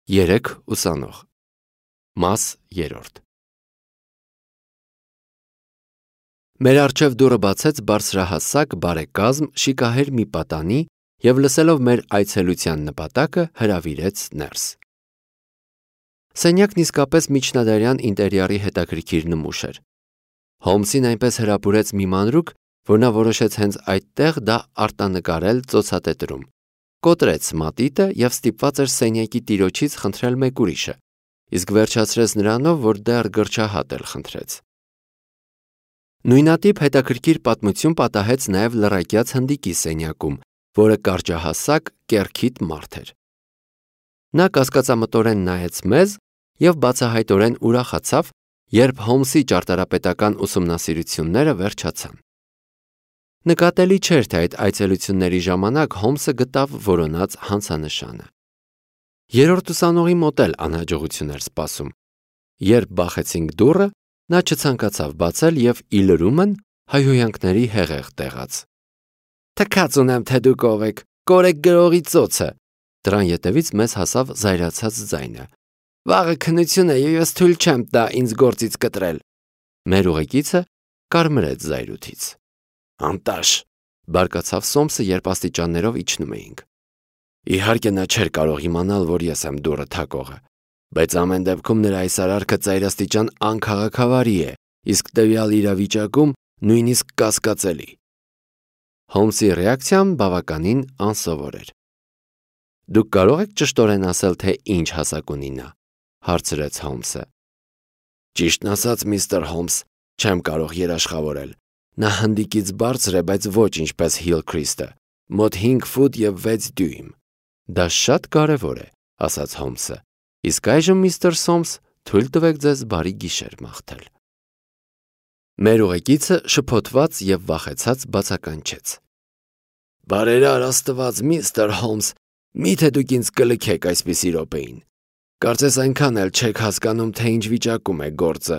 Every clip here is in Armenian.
Երեք ուսանող Մաս 3 Մեր առջև դուռը բացեց բարձրահասակ բարեկազմ շիկահեր մի պատանի և լսելով մեր այցելության նպատակը հրավիրեց ներս։ Սենյակն իսկապես միջնադարյան ինտերիերի հետաքրքիր նմուշ էր։ Հոլմսին այնպես հրապուրեց մի մանրուք, որ նա որոշեց հենց այդտեղ դա արտանկարել ծոցատետրում, կոտրեց մատիտը և ստիպված էր սենյակի տիրոջից խնդրել մեկ ուրիշը, իսկ վերջացրեց նրանով, որ դեռ գրչահատ էլ խնդրեց։ Նույնատիպ հետաքրքիր պատմություն պատահեց նաև լռակյաց հնդիկի սենյակում, որը կարճահասակ, կեռքիթ մարդ էր։ Նա կասկածամտորեն նայեց մեզ և բացահայտորեն ուրախացավ, երբ Հոլմսի ճարտարապետական ուսումնասիրությունները վերջացան։ Նկատելի չէր, թե այդ այցելությունների ժամանակ Հոլմսը գտավ որոնած հանցանշանը։ Երրորդ ուսանողի մոտ էլ անհաջողություն էր սպասում։ Երբ բախեցինք դուռը, նա չցանկացավ բացել և ի լրումն հայհոյանքների հեղեղ տեղաց։ «Թքած ունեմ, թե դուք ով եք, կորեք գրողի ծոցը»։ Դրան ետևից մեզ հասավ զայրացած ձայնը։ «Վաղը քննություն է և ես թույլ չեմ տա ինձ գործից կտրել»։ Մեր ուղեկիցը կարմրեց զայրույթից։ «Անտաշ», բարկացավ Սոմսը, երբ աստիճաններով իջնում էինք։ Իհարկե նա չէր կարող իմանալ, որ ես եմ դուռը թակողը, բայց ամեն դեպքում նրա այս արարքը ծայրաստիճան անքաղաքավարի է, իսկ տվյալ իրավիճակում նույնիսկ կասկածելի։ Հոլմսի ռեակցիան բավականին անսովոր էր։ «Դուք կարող եք ճշտորեն ասել, թե ինչ հասակ ունի նա», հարցրեց Հոլմսը։ «Ճիշտն ասած, միստր Հոլմս, չեմ կարող երաշխավորել։ Նա հնդիկից բարձր է, բայց ոչ ինչպես Հիլքրիստը, մոտ 5 ֆուտ և 6 դյույմ»։ «Դա շատ կարևոր է», ասաց Հոլմսը։ «Իսկ այժմ, միստր Սոմս, թույլ տվեք ձեզ բարի գիշեր մաղթել»։ Մեր ուղեկիցը շփոթված և վախեցած բացականչեց։ «Բարերար Աստված, միստր Հոլմս, միթե դուք ինձ կլքեք այսպիսի րոպեին։ Կարծես այնքան էլ չեք հասկանում, թե ինչ վիճակում է գործը։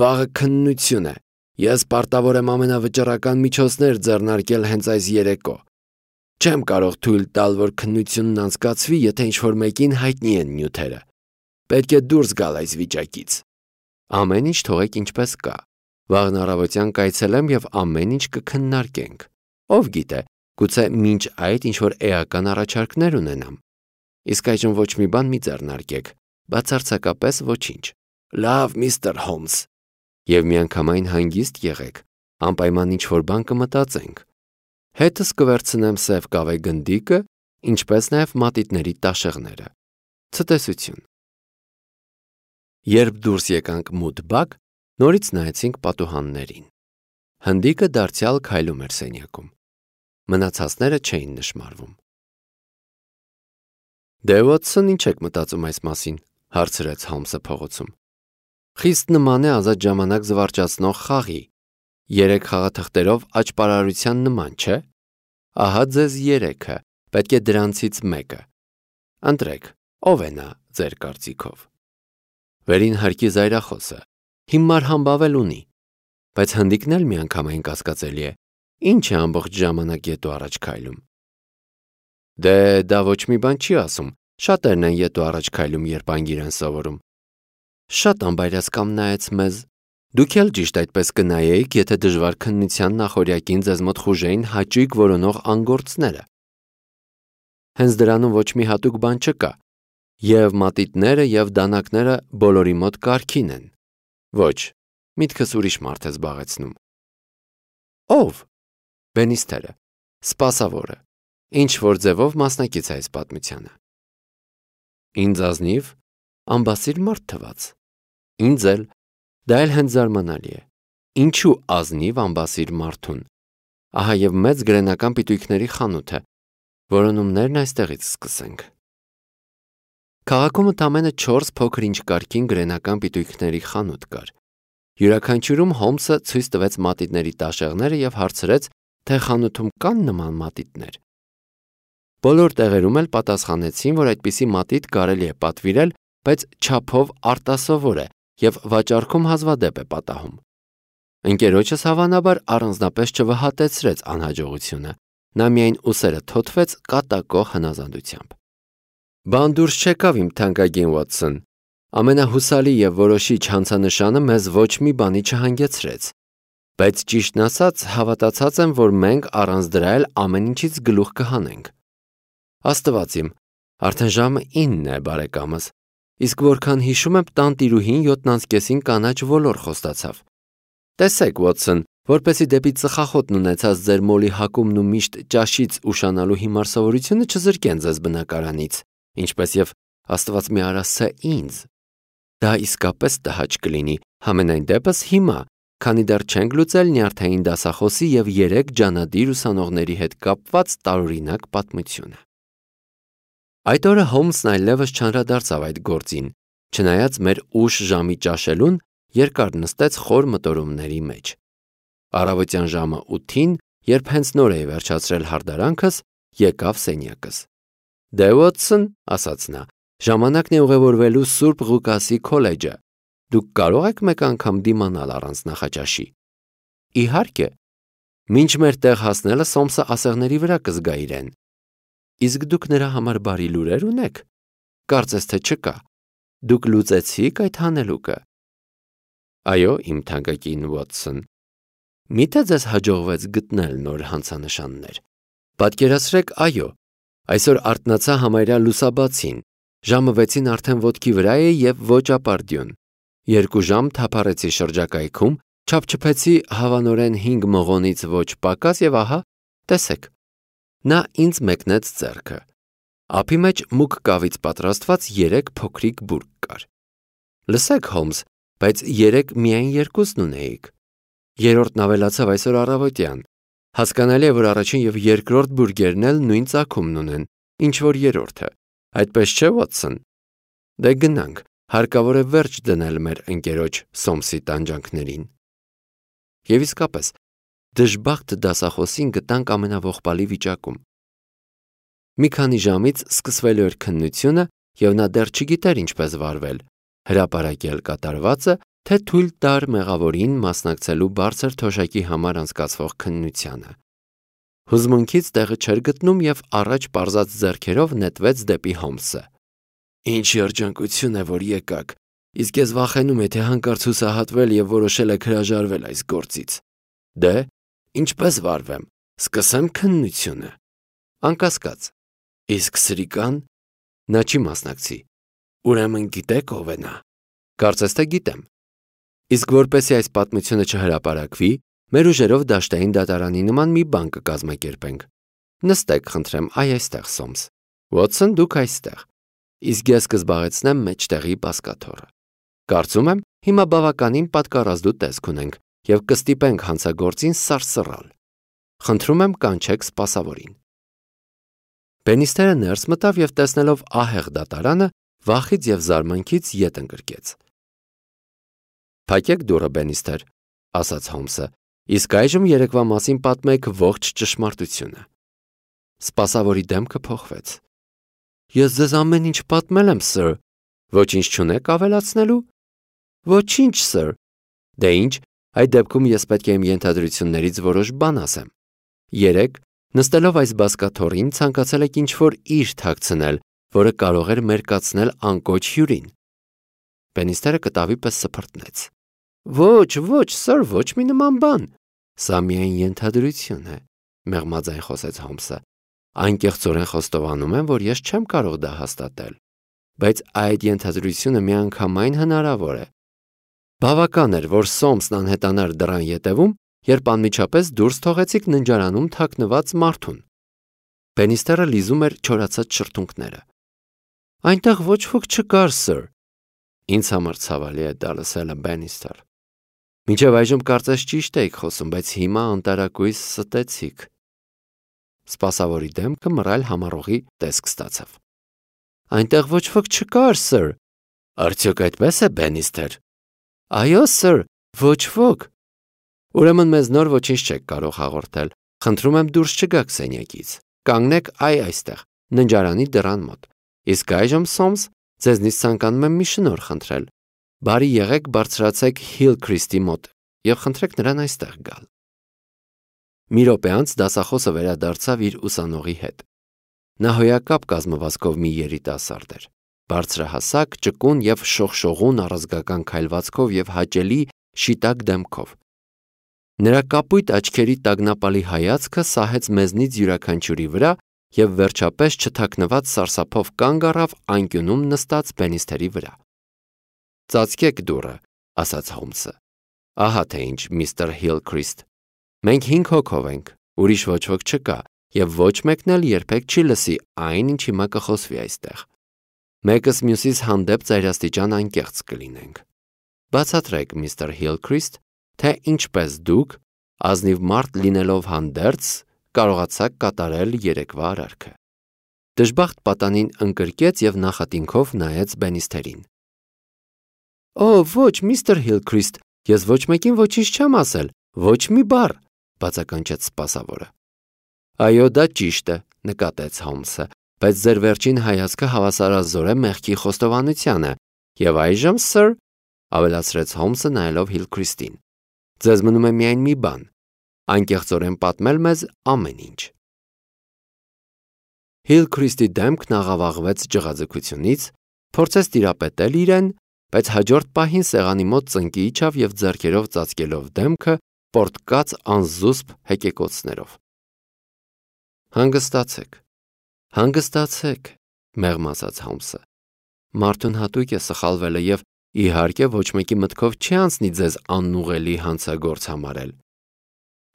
Վաղը քննություն է։ Ես պարտավոր եմ ամենավճռական միջոցներ ձեռնարկել հենց այս երեկո։ Չեմ կարող թույլ տալ, որ քննությունն անցկացվի, եթե ինչ-որ մեկին հայտնի են նյութերը։ Պետք է դուրս գալ այս վիճակից։ Ամեն ինչ թողեք ինչպես կա։ Վաղն առավոտյան կայցելեմ և ամեն ինչ կքննարկենք։ Ով գիտե, գուցե մինչ այդ ինչ-որ էական առաջարկներ ունենամ։ Իսկ այժմ ոչ մի բան մի ձեռնարկեք, բացարձակապես ոչինչ։ Լավ, միստր Հոլմս։ Եվ միանգամայն հանգիստ եղեք, անպայման ինչ-որ բան կմտածենք։ Հետս կվերցնեմ սև կավե գնդիկը, ինչպես նաև մատիտների տաշեղները։ Ցտեսություն։ Երբ դուրս եկանք մութ բակ, նորից նայեցինք պատուհաններին։ Հնդիկը դարձյալ քայլում էր սենյակում։ Մնացածները չէին նշմարվում։ Դե Վոթսոն, ինչ եք մտածում այս մասին, հարցրեց Հոլմսը փողոցում։ Խիստ նման է ազատ ժամանակ զվարճացնող խաղի։ 3 խաղաթղթերով աճպարարության նման, չէ։ Ահա ձեզ 3-ը, պետք է դրանցից մեկը։ Ընտրեք, ով է նա ձեր կարծիքով։ Վերին հարկի զայրախոսը հիմար համբավ էլ ունի, բայց հնդիկն էլ միանգամայն կասկածելի է։ Ինչ է ամբողջ ժամանակ ետ ու առաջ քայլում։ Դե դա ոչ մի բան չի ասում, շատերն են ետ ու առաջ քայլում, երբ անգիր են սովորում։ Շատ անբայրասկամ նայեց մեզ։ Դուք էլ ճիշտ այդպես կնայեիք, եթե դժվար քննության նախօրյակին ձեզ մոտ խուժեին հաճույք որոնող անգործները։ Հենց դրանում ոչ մի հատուկ բան չկա։ Եվ մատիտները, և դանակները բոլորի մոտ կարգին են։ Ոչ, միտքս ուրիշ մարդ է զբաղեցնում։ Ո՞վ։ Բենիստերը, սպասավորը, ինչ-որ ձևով մասնակից է այս պատմությանը։ Ինձ ազնիվ, անբասիր մարդ թվաց։ Ինձ էլ, դա էլ հենց զարմանալի է։ Ինչու ազնիվ անբասիր մարդուն։ Ահա և մեծ գրենական պիտույքների խանութը։ Որոնումներն այստեղից սկսենք։ Քաղաքում ընդամենը 4 փոքր-ինչ կարգին գրենական պիտույքների խանութ կար։ Յուրաքանչյուրում Հոլմսը ցույց տվեց մատիտների տաշեղները և հարցրեց, թե խանութում կան նման մատիտներ։ Բոլոր տեղերում էլ պատասխանեցին, որ այդպիսի մատիտ կարելի է պատվիրել, բայց չափով արտասովոր է և վաճառքում հազվադեպ է պատահում։ Ընկերոջս հավանաբար առանձնապես չվհատեցրեց անհաջողությունը, նա միայն ուսերը թոթվեց կատակող հնազանդությամբ։ Բան դուրս չեկավ իմ թանկագին Վոթսոն։ Ամենահուսալի եւ որոշիչ հանցանշանը մեզ ոչ մի բանի չհանգեցրեց։ Բայց ճիշտն ասած, հավատացած եմ, որ մենք առանց դրա էլ ամեն ինչից գլուխ կհանենք։ Աստված իմ, արդեն ժամը 9 է, բարեկամս։ Իսկ որքան հիշում եմ, տանտիրուհին 7:30-ին կանաչ ոլոր խոստացավ։ Տեսեք, Վոթսոն, որպեսի դեպի ծխախոտն ունեցած ձեր մոլի հակումն ու միշտ ճաշից ուշանալու հիմար սովորությունը չզրկեն ձեզ բնակարանից, ինչպես եւ Աստված մի արասը ինձ։ Դա իսկապես տհաճ կլինի, համենայն դեպս հիմա, քանի դեռ չենք լուծել նյարդային դասախոսի եւ 3 ջանադիր ուսանողների հետ կապված տարօրինակ պատմությունը։ Այդ օրը Հոլմսն այլևս չանդրադարձավ այդ գործին, չնայած մեր ուշ ժամի ճաշելուն երկար նստեց խոր մտորումների մեջ։ Առավոտյան ժամը 8-ին, երբ հենց նոր էի վերջացրել հարդարանքս, եկավ սենյակս։ Դե Վոթսոն, ասաց նա, ժամանակն է ուղևորվելու Սուրբ Ղուկասի քոլեջը։ Դուք կարող եք մեկ անգամ դիմանալ առանց նախաճաշի։ Իհարկե, մինչ մեր տեղ հասնելը Սոմսը ասեղների վրա կզգա իրեն։ Իսկ դուք նրա համար բարի լուրեր ունեք։ Կարծես թե չկա։ Դուք լուծեցիք այդ հանելուկը։ Այո, իմ թանկագին Վոթսոն։ Միթե ձեզ հաջողվեց գտնել նոր հանցանշաններ։ Պատկերացրեք, այո, այսօր արթնացա համարյա լուսաբացին։ Ժամը 6-ին արդեն ոտքի վրա էի եւ ոչ ապարդյուն։ 2 ժամ թափառեցի շրջակայքում, չափչփեցի հավանորեն 5 մղոնից ոչ պակաս եւ ահա, տեսեք։ Նա ինձ մեկնեց ձեռքը։ Ափի մեջ մուգ կավից պատրաստված 3 փոքրիկ բուրգ կար։ Լսեք, Հոլմս, բայց 3 միայն 2-ն ունեիք։ Երրորդն ավելացավ այսօր առավոտյան։ Հասկանալի է, որ առաջին եւ երկրորդ բուրգերն էլ նույն ծագումն ունեն, ինչ որ երրորդը։ Այդպես չէ, Վոթսոն։ Դե գնանք, հարկավոր է վերջ դնել մեր ընկերոջ Սոմսի տանջանքներին։ Եվ իսկապես, դժբախտ դասախոսին գտանք ամենաողբալի վիճակում։ Մի քանի ժամից սկսվելու էր քննությունը, եւ նա դեռ չգիտեր ինչպես վարվել, հրապարակել կատարվածը, թե թույլ տար մեղավորին մասնակցելու բարձր թոշակի համար անցկացվող քննությանը։ Հուզմունքից տեղը չէր գտնում եւ առաջ պարզած ձեռքերով նետվեց դեպի Հոլմսը։ Ինչ երջանկություն է, որ եկաք, իսկ ես վախենում եմ, թե հանկարծ հուսահատվել եւ որոշել եք հրաժարվել այս գործից։ Դե, ինչպես վարվեմ, սկսեմ քննությունը։ Անկասկած։ Իսկ սրիկան նա չի մասնակցի։ Ուրեմն գիտեք ով է նա։ Կարծես թե գիտեմ։ Իսկ որպեսզի այս պատմությունը չհրապարակվի, մեր ուժերով դաշտային դատարանի նման մի բան կկազմակերպենք։ Նստեք, խնդրեմ, այստեղ, Սոմս։ Վոթսոն, դուք այստեղ։ Իսկ ես կզբաղեցնեմ մեջտեղի բազկաթոռը։ Կարծում եմ, հիմա բավականին պատկառազդու տեսք ունենք եւ կստիպենք հանցագործին սարսռալ։ Խնդրում եմ կանչեք սպասավորին։ Բենիստերը ներս մտավ եւ տեսնելով ահեղ դատարանը, վախից եւ զարմանքից ետ ընկրկեց։ Փակեք դուռը, Բենիստեր, ասաց Հոլմսը, իսկ այժմ երեկվա մասին պատմեք ողջ ճշմարտությունը։ Սպասավորի դեմքը փոխվեց։ Ես ձեզ ամեն ինչ պատմել եմ, սըր։ Ոչինչ չունեք ավելացնելու։ Ոչինչ, սըր։ Դե ինչ, այդ դեպքում ես պետք է իմ ենթադրություններից որոշ բան ասեմ։ Երեք, նստելով այս բազկաթոռին, ցանկացել եք ինչ-որ իր թաքցնել, որը կարող էր մերկացնել անկոչ հյուրին։ Բենիստերը կտավի պես սփռտնեց։ Ոչ, սըր, ոչ մի նման բան։ Սա միայն ենթադրություն է, մեղմաձայն խոսեց Հոլմսը։ Անկեղծորեն խոստովանում եմ, որ ես չեմ կարող դա հաստատել, բայց այդ ենթադրությունը միանգամայն հնարավոր է։ Բավական էր, որ Սոմսն անհետանար դռան ետևում, երբ անմիջապես դուրս թողեցիք ննջարանում թաքնված մարդուն։ Բենիստերը լիզում էր չորացած շրթունքները։ Այնտեղ ոչ ոք չկար, սըր։ Ինձ համար ցավալի է դա լսելը, Բենիստեր։ Մինչև այժմ կարծես ճիշտ էիք խոսում, բայց հիմա անտարակույս ստեցիք։ Սպասավորի դեմքը մռայլ համառողի տեսք ստացավ։ Այնտեղ ոչ ոք չկար, սըր։ Արդյոք այդպես է, Բենիստեր։ Այո, սըր, ոչ ոք։ Ուրեմն մեզ նոր ոչինչ չեք կարող հաղորդել։ Խնդրում եմ դուրս չգաք սենյակից։ Կանգնեք այստեղ, ննջարանի դռան մոտ։ Իսկ այժմ, Սոմս, ձեզնից ցանկանում եմ մի շնորհ խնդրել։ Բարի եղեք բարձրացեք Հիլքրիստի մոտ եւ խնդրեք նրան այստեղ գալ։ Մի րոպե անց դասախոսը վերադարձավ իր ուսանողի հետ։ Նա հոյակապ կազմվածքով մի երիտասարդ էր, բարձրահասակ, ճկուն եւ շողշողուն առազգական քայլվածքով եւ հաճելի շիտակ դեմքով։ Նրա կապույտ աչքերի տագնապալի հայացքը սահեց մեզնից յուրաքանչյուրի վրա եւ վերջապես չթաքնված սարսափով կանգ առավ անկյունում նստած Բենիստերի վրա։ «Ծածկեք դուռը», ասաց Հոլմսը։ «Ահա թե ինչ, միստր Հիլքրիստ։ Մենք 5 հոգով ենք, ուրիշ ոչ ոք չկա, եւ ոչ մեկն էլ երբեք չի լսի այն, ինչ հիմա կխոսվի այստեղ։ Մեկս մյուսից հանդեպ ծայրաստիճան անկեղծ կլինենք։ Բացատրեք, միստր Հիլքրիստ, թե ինչպես դուք, ազնիվ մարդ լինելով հանդերձ, կարողացաք կատարել երեկվա արարքը»։ Դժբախտ պատանին ընկրկեց եւ նախատինքով նայեց Բենիստերին։ «Օ, ոչ, միստր Հիլքրիստ, ես ոչ մեկին ոչինչ չեմ ասել, ոչ մի բառ», բացականչեց սպասավորը։ «Այո, դա ճիշտ է», նկատեց Հոլմսը, «բայց ձեր վերջին հայացքը հավասարազոր է մեղքի խոստովանությանը, եւ այժմ, սըր», ավելացրեց Հոլմսը նայելով Հիլքրիստին, «ձեզ մնում է միայն մի բան, անկեղծորեն պատմել մեզ ամեն ինչ»։ Հիլքրիստի դեմքն աղավաղվեց ջղաձգությունից, փորձեց տիրապետել իրեն, բայց հաջորդ պահին սեղանի մոտ ծնկի իջավ եւ ձեռքերով ծածկելով դեմքը պորտկաց անզուսպ հեկեկոցներով։ «Հանգստացեք, հանգստացեք», մեղմ ասաց Հոլմսը։ «Մարդուն հատուկ է սխալվելը եւ իհարկե ոչ մեկի մտքով չի անցնի ձեզ անուղելի հանցագործ համարել։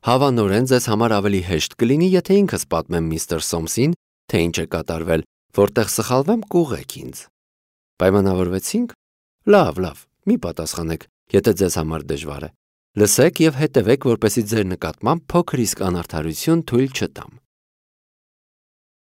Հավանորեն ձեզ համար ավելի հեշտ կլինի, եթե ինքս պատմեմ միստր Սոմսին, թե ինչ է կատարվել, որտեղ սխալվեմ կուղեք ինձ։ Պայմանավորվեցինք։ Լավ, մի պատասխանեք, եթե ձեզ համար դժվար է։ Լսեք եւ հետևեք, որպեսզի ձեր նկատմամբ փոքր իսկ անարդարություն թույլ չտամ։